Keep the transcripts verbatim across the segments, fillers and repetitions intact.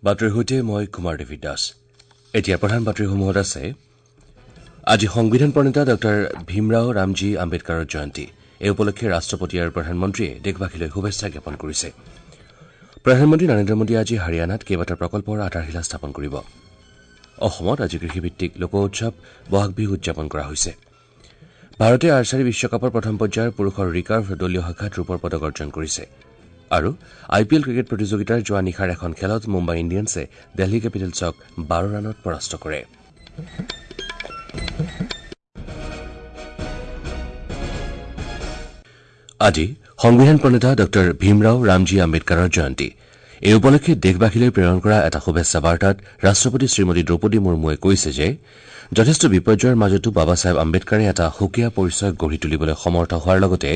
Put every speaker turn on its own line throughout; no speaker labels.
বাতৰিৰ সৈতে মই কুমাৰ দেৱী দাস। এতিয়া প্ৰধান বাতৰিসমূহত আছে আজি সংবিধান প্ৰণেতা ডঃ ভীমৰাও ৰামজী আম্বেদকাৰৰ জয়ন্তী। এই উপলক্ষে ৰাষ্ট্ৰপতি আৰু প্ৰধানমন্ত্ৰীয়ে দেশবাসীলৈ শুভেচ্ছা জ্ঞাপন কৰিছে। প্ৰধানমন্ত্ৰী নৰেন্দ্ৰ মোদীয়ে আজি হাৰিয়ানাত কেইবাটাও প্ৰকল্পৰ আধাৰশিলা স্থাপন কৰিব। অসমত আজি কৃষিভিত্তিক লোক উৎসৱ বহাগ বিহু উদযাপন কৰা হৈছে। ভাৰতে আৰ্চাৰী বিশ্বকাপৰ প্ৰথম পৰ্যায়ৰ পুৰুষৰ ৰিকাৰ্ভ দলীয় শাখাত ৰূপৰ পদক অৰ্জন কৰিছে। আৰু আই পি এল ক্ৰিকেট প্ৰতিযোগিতাৰ যোৱা নিশাৰ এখন খেলত মুম্বাই ইণ্ডিয়ানছে দিল্লী কেপিটেলছক বাৰ ৰানত পৰাস্ত কৰে। আজি সংবিধান প্ৰণেতা ডঃ ভীমৰাও ৰামজী আম্বেদকাৰৰ জয়ন্তী। এই উপলক্ষে দেশবাসীলৈ প্ৰেৰণ কৰা এটা শুভেচ্ছা বাৰ্তাত ৰাষ্ট্ৰপতি শ্ৰীমতী দ্ৰৌপদী মুৰ্মুৱে কৈছে যে যথেষ্ট বিপৰ্যয়ৰ মাজতো বাবা চাহেব আম্বেদকাৰে এটা সুকীয়া পৰিচয় গঢ়ি তুলিবলৈ সমৰ্থ হোৱাৰ লগতে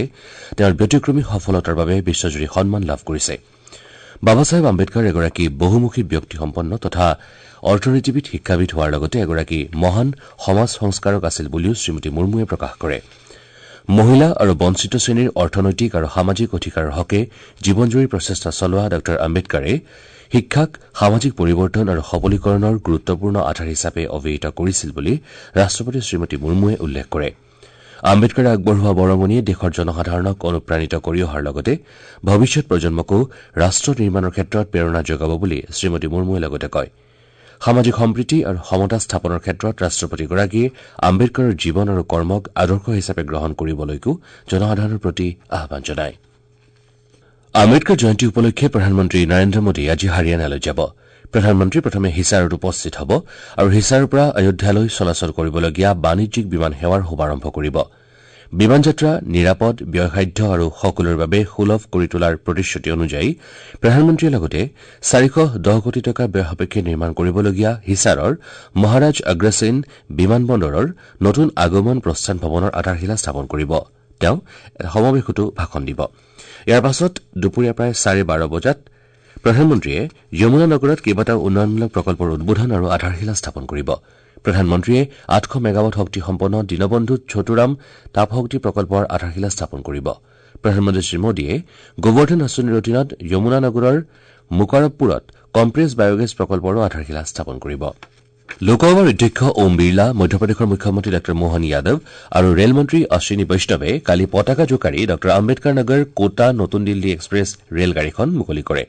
তেওঁৰ ব্যতিক্ৰমী সফলতাৰ বাবে বিশ্বজুৰি সন্মান লাভ কৰিছে। বাবা চাহেব আম্বেদকাৰ এগৰাকী বহুমুখী ব্যক্তিসম্পন্ন তথা অৰ্থনীতিবিদ, শিক্ষাবিদ হোৱাৰ লগতে এগৰাকী মহান সমাজ সংস্কাৰক আছিল বুলিও শ্ৰীমতী মুৰ্মুৱে প্ৰকাশ কৰে। মহিলা আৰু বঞ্চিত শ্ৰেণীৰ অৰ্থনৈতিক আৰু সামাজিক অধিকাৰৰ হকে জীৱনজুৰি প্ৰচেষ্টা চলোৱা ডঃ আম্বেদকাৰে শিক্ষাক সামাজিক পৰিৱৰ্তন আৰু সবলীকৰণৰ গুৰুত্বপূৰ্ণ আধাৰ হিচাপে অভিহিত কৰিছিল বুলি ৰাষ্ট্ৰপতি শ্ৰীমতী মুৰ্মুৱে উল্লেখ কৰে। আম্বেদকাৰে আগবঢ়োৱা বৰঙণিয়ে দেশৰ জনসাধাৰণক অনুপ্ৰাণিত কৰি অহাৰ লগতে ভৱিষ্যত প্ৰজন্মকো ৰাষ্ট্ৰ নিৰ্মাণৰ ক্ষেত্ৰত প্ৰেৰণা যোগাব বুলি শ্ৰীমতী মুৰ্মুৱে লগতে কয়। সামাজিক সম্প্ৰীতি আৰু সমতা স্থাপনৰ ক্ষেত্ৰত ৰাষ্ট্ৰপতিগৰাকীয়ে আম্বেদকাৰৰ জীৱন আৰু কৰ্মক আদৰ্শ হিচাপে গ্ৰহণ কৰিবলৈকো জনসাধাৰণৰ প্ৰতি আহ্বান জনায়। আম্বেদকাৰ জয়ন্তী উপলক্ষে প্ৰধানমন্ত্ৰী নৰেন্দ্ৰ মোদী আজি হাৰিয়ানালৈ যাব। প্ৰধানমন্ত্ৰী প্ৰথমে হিছাৰত উপস্থিত হ'ব আৰু হিছাৰৰ পৰা অযোধ্যালৈ চলাচল কৰিবলগীয়া বাণিজ্যিক বিমান সেৱাৰ শুভাৰম্ভ কৰিব। বিমান যাত্ৰা নিৰাপদ, ব্যয়সাধ্য আৰু সকলোৰে বাবে সুলভ কৰি তোলাৰ প্ৰতিশ্ৰুতি অনুযায়ী প্ৰধানমন্ত্ৰীয়ে লগতে চাৰিশ দহ কোটি টকা ব্যয় সাপেক্ষে নিৰ্মাণ কৰিবলগীয়া হিছাৰৰ মহাৰাজ অগ্ৰসেন বিমানবন্দৰৰ নতুন আগমন প্ৰস্থান ভৱনৰ আধাৰশিলা স্থাপন কৰিব। তেওঁ এটা সমাৱেশতো ভাষণ দিব। ইয়াৰ পাছত দুপৰীয়া প্ৰায় চাৰে বাৰ বজাত প্ৰধানমন্ত্ৰীয়ে যমুনা নগৰত কেইবাটাও উন্নয়নমূলক প্ৰকল্পৰ উদ্বোধন আৰু আধাৰশিলা স্থাপন কৰিব। প্ৰধানমন্ত্ৰীয়ে আঠশ মেগাৱাট শক্তিসম্পন্ন দীনবন্ধু ছোটুৰাম তাপশক্তি প্ৰকল্পৰ আধাৰশিলা স্থাপন কৰিব। প্ৰধানমন্ত্ৰী শ্ৰীমোদীয়ে গোবৰ্ধন আঁচনিৰ অধীনত যমুনা নগৰৰ মুকাৰবপুৰত কম্প্ৰেছ বায়গেছ প্ৰকল্পৰো আধাৰশিলা স্থাপন কৰিব। লোকসভাৰ অধ্যক্ষ ওম বিৰলা, মধ্যপ্ৰদেশৰ মুখ্যমন্ত্ৰী ডঃ মোহন যাদৱ আৰু ৰেলমন্ত্ৰী অশ্বিনী বৈষ্ণৱে কালি পতাকা জোকাৰি ডঃ আম্বেদকাৰ নগৰ কোটা নতুন দিল্লী এক্সপ্ৰেছ ৰেলগাড়ীখন মুকলি কৰে।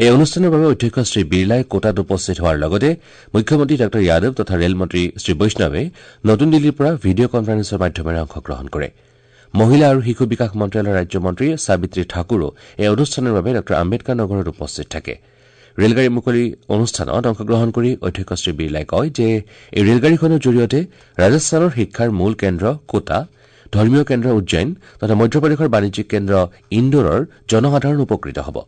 এই অনুষ্ঠানৰ বাবে অধ্যক্ষ শ্ৰী বিৰলাই কোটাত উপস্থিত হোৱাৰ লগতে মুখ্যমন্ত্ৰী ডঃ যাদৱ তথা ৰেলমন্ত্ৰী শ্ৰী বৈষ্ণৱে নতুন দিল্লীৰ পৰা ভিডিঅ' কনফাৰেন্সৰ মাধ্যমেৰে অংশগ্ৰহণ কৰে। মহিলা আৰু শিশু বিকাশ মন্ত্ৰালয়ৰ ৰাজ্যমন্ত্ৰী সাবিত্ৰী ঠাকুৰো এই অনুষ্ঠানৰ বাবে ডঃ আম্বেদকাৰ নগৰত উপস্থিত থাকে। ৰেলগাড়ী মুকলি অনুষ্ঠানত অংশগ্ৰহণ কৰি অধ্যক্ষ শ্ৰী বিৰলাই কয় যে এই ৰেলগাড়ীখনৰ জৰিয়তে ৰাজস্থানৰ শিক্ষাৰ মূল কেন্দ্ৰ কোটা, ধৰ্মীয় কেন্দ্ৰ উজ্জৈন তথা মধ্যপ্ৰদেশৰ বাণিজ্যিক কেন্দ্ৰ ইণ্ডোৰৰ জনসাধাৰণ উপকৃত হ'ব।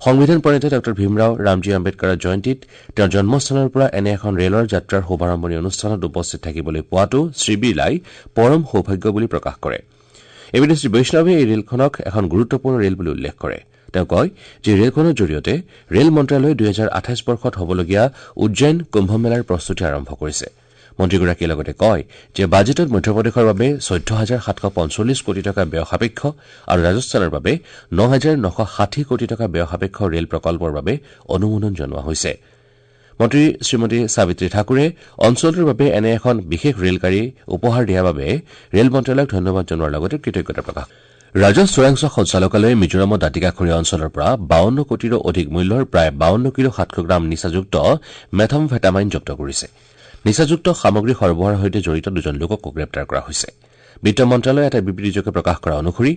সংবিধান প্ৰণেতা ডঃ ভীমৰাও ৰামজী আম্বেদকাৰৰ জয়ন্তীত তেওঁৰ জন্মস্থানৰ পৰা এনে এখন ৰেলৰ যাত্ৰাৰ শুভাৰম্ভণি অনুষ্ঠানত উপস্থিত থাকিবলৈ পোৱাটো শ্ৰী বিৰলাই পৰম সৌভাগ্য বুলি প্ৰকাশ কৰে। এইপিনে শ্ৰী বৈষ্ণৱে এই ৰেলখনক এখন গুৰুত্বপূৰ্ণ ৰেল বুলি উল্লেখ কৰে। তেওঁ কয় যে ৰেলখনৰ জৰিয়তে ৰেল মন্ত্ৰালয়ে দুহেজাৰ আঠাইছ বৰ্ষত হ'বলগীয়া উজ্জৈন কুম্ভমেলাৰ প্ৰস্তুতি আৰম্ভ কৰিছে। মন্ত্ৰীগৰাকীয়ে লগতে কয় যে বাজেটত মধ্যপ্ৰদেশৰ বাবে চৈধ্য হাজাৰ সাতশ পঞ্চল্লিছ কোটি টকা ব্যয় সাপেক্ষ আৰু ৰাজস্থানৰ বাবে ন হাজাৰ নশ ষাঠি কোটি টকা ব্যয় সাপেক্ষ ৰেল প্ৰকল্পৰ বাবে অনুমোদন জনোৱা হৈছে। মন্ত্ৰী শ্ৰীমতী সাবিত্ৰী ঠাকুৰে অঞ্চলটোৰ বাবে এনে এখন বিশেষ ৰেলগাড়ী উপহাৰ দিয়াৰ বাবে ৰেল মন্ত্ৰালয়ক ধন্যবাদ জনোৱাৰ লগতে কৃতজ্ঞতা প্ৰকাশ। ৰাজহ চোৰাংচোৱা সঞ্চালকালয়ে মিজোৰামৰ দাঁতিকাষৰীয়া অঞ্চলৰ পৰা বাৱন্ন কোটিৰো অধিক মূল্যৰ প্ৰায় বাৱন্ন কিলো সাতশ গ্ৰাম নিচাযুক্ত মেথামফেটামাইন জব্দ কৰিছে। নিচাযুক্ত সামগ্ৰী সৰবৰাহৰ সৈতে জড়িত দুজন লোককো গ্ৰেপ্তাৰ কৰা হৈছে। বিত্ত মন্ত্ৰালয়ে এটা বিবৃতিযোগে প্ৰকাশ কৰা অনুসৰি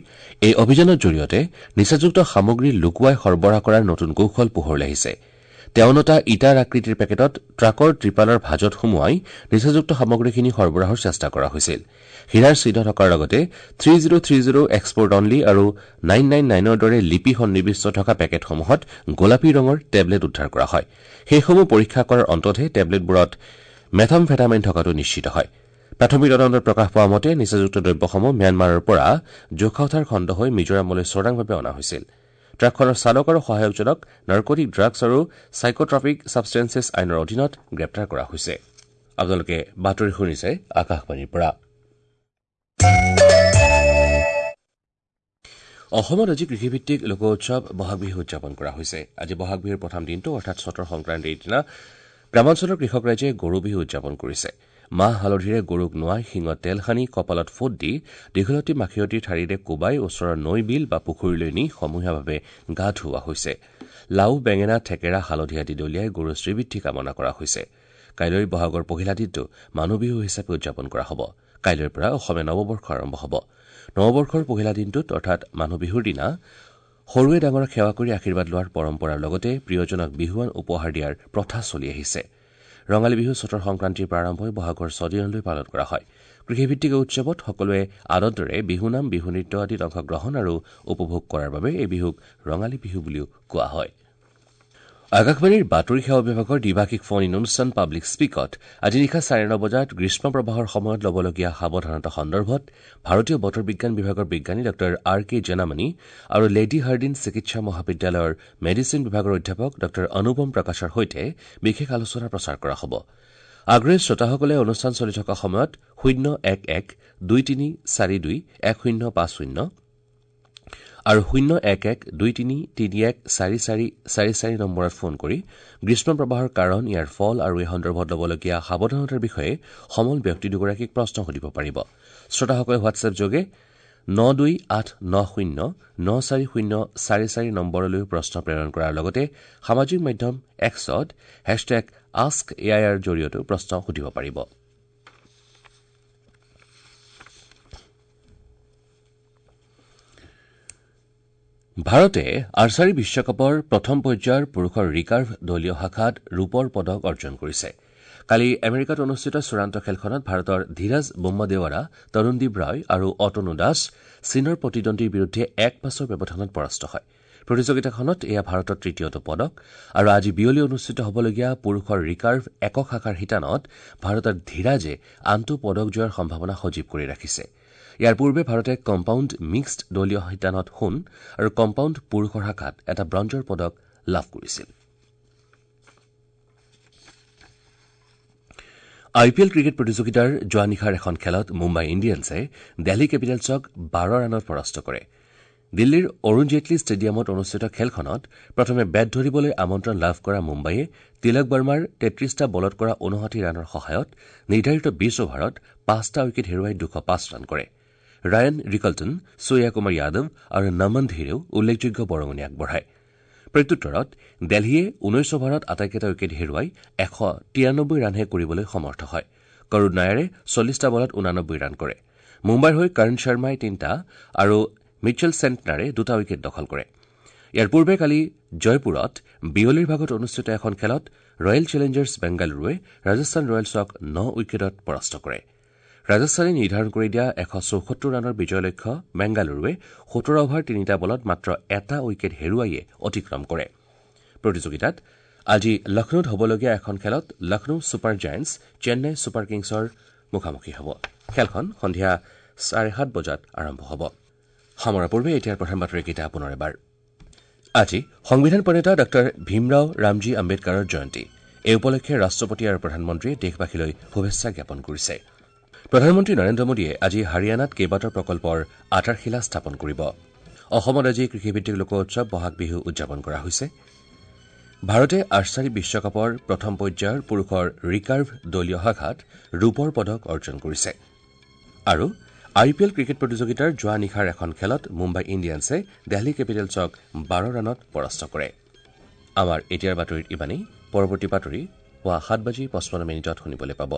এই অভিযানৰ জৰিয়তে নিচাযুক্ত সামগ্ৰী লুকুৱাই সৰবৰাহ কৰাৰ নতুন কৌশল পোহৰলৈ আহিছে। তেওঁনটা ইটাৰ আকৃতিৰ পেকেটত ট্ৰাকৰ ত্ৰিপালৰ ভাঁজত সুমুৱাই নিচাযুক্ত সামগ্ৰীখিনি সৰবৰাহৰ চেষ্টা কৰা হৈছিল। হীৰাৰ চিহ্ন থকাৰ লগতে three zero three zero export only আৰু নাইন নাইন নাইনৰ দৰে লিপি সন্নিৱিষ্ট থকা পেকেটসমূহত গোলাপী ৰঙৰ টেবলেট উদ্ধাৰ কৰা হয়। সেইসমূহ পৰীক্ষা কৰাৰ অন্ততহে টেবলেটবোৰত মেথামফেটামাইন থকাটো নিশ্চিত হয়। প্ৰাথমিক তদন্তত প্ৰকাশ পোৱা মতে নিচাযুক্ত দ্ৰব্যসমূহ ম্যানমাৰৰ পৰা জোখাউথাৰ খণ্ড হৈ মিজোৰামলৈ চোৰাংভাৱে অনা হৈছিল। ট্ৰাকখনৰ চালক আৰু সহায়কজনক নাৰ্কটিক ড্ৰাগছ আৰু চাইকোট্ৰপিক ছাবষ্টেন্সেছ আইনৰ অধীনত গ্ৰেপ্তাৰ কৰা হৈছে। আপোনালোকে বাতৰি শুনিছে আকাশবাণীৰ পৰা। অসমত আজি কৃষিভিত্তিক লোক উৎসৱ বহাগ বিহু উদযাপন কৰা হৈছে। আজি বহাগ বিহুৰ প্ৰথম দিনটো অৰ্থাৎ চতৰ সংক্ৰান্তিৰ দিনা গ্ৰামাঞ্চলৰ কৃষক ৰাইজে গৰু বিহু উদযাপন কৰিছে। মাহ হালধিৰে গৰুক নোৱাই শিঙত তেল সানি কপালত ফোট দি দীঘলতি মাখিয়তীৰ ঠাৰিৰে কোবাই ওচৰৰ নৈ বিল বা পুখুৰীলৈ নি সমূহীয়াভাৱে গা ধুওৱা হৈছে। লাও, বেঙেনা, থেকেৰা, হালধি আদি দলিয়াই গৰুৰ শ্ৰীবৃদ্ধি কামনা কৰা হৈছে। কাইলৈ বহাগৰ পহিলা দিনটো মানুহ বিহু হিচাপে উদযাপন কৰা হ'ব। কাইলৈৰ পৰা অসমীয়া নৱবৰ্ষ আৰম্ভ হ'ব। নৱবৰ্ষৰ পহিলা দিনটোত অৰ্থাৎ মানুহ বিহুৰ দিনা সৰুৱে ডাঙৰক সেৱা কৰি আশীৰ্বাদ লোৱাৰ পৰম্পৰাৰ লগতে প্ৰিয়জনক বিহুৱান উপহাৰ দিয়াৰ প্ৰথা চলি আহিছে। ৰঙালী বিহু চতৰ সংক্ৰান্তিৰ পৰা আৰম্ভ হৈ বহাগৰ ছদিনলৈ পালন কৰা হয়। কৃষিভিত্তিক এই উৎসৱত সকলোৱে আনন্দেৰে বিহুনাম, বিহু নৃত্য আদিত অংশগ্ৰহণ আৰু উপভোগ কৰাৰ বাবে এই বিহুক ৰঙালী বিহু বুলিও কোৱা হয়। আকাশবাণীৰ বাতৰি সেৱা বিভাগৰ দ্বিভাষিক ফোন ইন অনুষ্ঠান পাব্লিক স্পীকত আজি নিশা চাৰে ন বজাত গ্ৰীষ্ম প্ৰবাহৰ সময়ত ল'বলগীয়া সাৱধানতা সন্দৰ্ভত ভাৰতীয় বতৰ বিজ্ঞান বিভাগৰ বিজ্ঞানী ডাঃ আৰ কে জেনামণি আৰু লেডী হাৰ্ডিন চিকিৎসা মহাবিদ্যালয়ৰ মেডিচিন বিভাগৰ অধ্যাপক ডাঃ অনুপম প্ৰকাশৰ সৈতে বিশেষ আলোচনা প্ৰচাৰ কৰা হ'ব। আগ্ৰহী শ্ৰোতাসকলে অনুষ্ঠান চলি থকা সময়ত শূন্য এক এক দুই তিনি চাৰি দুই এক শূন্য পাঁচ শূন্য আৰু শূন্য এক এক দুই তিনি তিনি এক চাৰি চাৰি চাৰি চাৰি নম্বৰত ফোন কৰি গ্ৰীষ্ম প্ৰবাহৰ কাৰণ, ইয়াৰ ফল আৰু এই সন্দৰ্ভত ল'বলগীয়া সাৱধানতাৰ বিষয়ে সমল ব্যক্তি দুগৰাকীক প্ৰশ্ন সুধিব পাৰিব। শ্ৰোতাসকলে হোৱাটছএপ যোগে ন দুই আঠ ন শূন্য ন চাৰি শূন্য চাৰি চাৰি নম্বৰলৈও প্ৰশ্ন প্ৰেৰণ কৰাৰ লগতে সামাজিক মাধ্যম এক্সত hashtag ask a I R জৰিয়তেও প্ৰশ্ন সুধিব পাৰিব। ভাৰতে আৰ্চাৰী বিশ্বকাপৰ প্ৰথম পৰ্যায়ৰ পুৰুষৰ ৰিকাৰ্ভ দলীয় শাখাত ৰূপৰ পদক অৰ্জন কৰিছে। কালি আমেৰিকাত অনুষ্ঠিত চূড়ান্ত খেলখনত ভাৰতৰ ধীৰাজ বোম্মাদেৱাৰা, তৰুণদীপ ৰায় আৰু অতনু দাস চীনৰ প্ৰতিদ্বন্দ্বীৰ বিৰুদ্ধে এক পাঁচৰ ব্যৱধানত পৰাস্ত হয়। প্ৰতিযোগিতাখনত এয়া ভাৰতৰ তৃতীয়টো পদক আৰু আজি বিয়লি অনুষ্ঠিত হ'বলগীয়া পুৰুষৰ ৰিকাৰ্ভ একক শাখাৰ শিতানত ভাৰতৰ ধীৰাজে আনটো পদক জয়ৰ সম্ভাৱনা সজীৱ কৰি ৰাখিছে। ইয়াৰ পূৰ্বে ভাৰতে কম্পাউণ্ড মিক্সড দলীয় শিতানত সোণ আৰু কম্পাউণ্ড পুৰুষৰ শাখাত এটা ব্ৰঞ্জৰ পদক লাভ কৰিছিল। আই পি এল ক্ৰিকেট প্ৰতিযোগিতাৰ যোৱা নিশাৰ এখন খেলত মুম্বাই ইণ্ডিয়ানছে দিল্লী কেপিটেলছক বাৰ ৰানত পৰাস্ত কৰে। দিল্লীৰ অৰুণ জেটলী ষ্টেডিয়ামত অনুষ্ঠিত খেলখনত প্ৰথমে বেট ধৰিবলৈ আমন্ত্ৰণ লাভ কৰা মুম্বাইয়ে তিলক বাৰ্মাৰ তেত্ৰিশটা বলত কৰা ঊনষাঠি ৰানৰ সহায়ত নিৰ্ধাৰিত বিশ অভাৰত পাঁচটা উইকেট হেৰুৱাই দুশ পাঁচ ৰান কৰে। ৰায়ান ৰিকল্টন, সূৰ্য কুমাৰ যাদৱ আৰু নমন ধীৰেও উল্লেখযোগ্য বৰঙণি আগবঢ়ায়। প্ৰত্যুত্তৰত দিল্লীয়ে ঊনৈশ অভাৰত আটাইকেইটা উইকেট হেৰুৱাই এশ তিৰানব্বৈ ৰানহে কৰিবলৈ সমৰ্থ হয়। কৰুণ নায়াৰে চল্লিছটা বলত ঊনানব্বৈ ৰান কৰে। মুম্বাইৰ হৈ কৰ্ণ শৰ্মাই তিনিটা আৰু মিচেল চেণ্টনাৰে দুটা উইকেট দখল কৰে। ইয়াৰ পূৰ্বে কালি জয়পুৰত বিয়লিৰ ভাগত অনুষ্ঠিত এখন খেলত ৰয়েল চেলেঞ্জাৰ্ছ বেংগালুৰুৱে ৰাজস্থান ৰয়েলছক ন উইকেটত পৰাস্ত কৰে। ৰাজস্থানে নিৰ্ধাৰণ কৰি দিয়া এশ চৌসত্তৰ ৰানৰ বিজয় লক্ষ্য বেংগালুৰুৱে সোতৰ অভাৰ তিনিটা বলত মাত্ৰ এটা উইকেট হেৰুৱাইয়ে অতিক্ৰম কৰে। প্ৰতিযোগিতাত আজি লক্ষ্ণৌত হ'বলগীয়া এখন খেলত Lucknow super giants Chennai super কিংছৰ মুখামুখি হ'ব। খেলখন সন্ধিয়া চাৰে সাত বজাত আৰম্ভ হ'ব। সামৰাৰ পূৰ্বে এতিয়াৰ প্ৰধান বাতৰিকেইটা পুনৰ এবাৰ। আজি সংবিধান প্ৰণেতা ডাঃ ভীমৰাও ৰামজী আম্বেদকাৰৰ জয়ন্তী। এই উপলক্ষে ৰাষ্ট্ৰপতি আৰু প্ৰধানমন্ত্ৰীয়ে দেশবাসীলৈ শুভেচ্ছা জ্ঞাপন কৰিছে। প্ৰধানমন্ত্ৰী নৰেন্দ্ৰ মোদীয়ে আজি হাৰিয়ানাত কেইবাটাও প্ৰকল্পৰ আধাৰশিলা স্থাপন কৰিব। অসমত আজি কৃষিভিত্তিক লোক উৎসৱ বহাগ বিহু উদযাপন কৰা হৈছে। ভাৰতে আৰ্চাৰী বিশ্বকাপৰ প্ৰথম পৰ্যায়ৰ পুৰুষৰ ৰিকাৰ্ভ দলীয় শাখাত ৰূপৰ পদক অৰ্জন কৰিছে। আৰু আই পি এল ক্ৰিকেট প্ৰতিযোগিতাৰ যোৱা নিশাৰ এখন খেলত মুম্বাই ইণ্ডিয়ানছে দিল্লী কেপিটেলছক বাৰ ৰানত পৰাস্ত কৰে। আমাৰ এতিয়াৰ বাতৰিত ইমানেই। পৰৱৰ্তী বাতৰি পুৱা সাত বাজি পঁচপন্ন মিনিটত শুনিবলৈ পাব।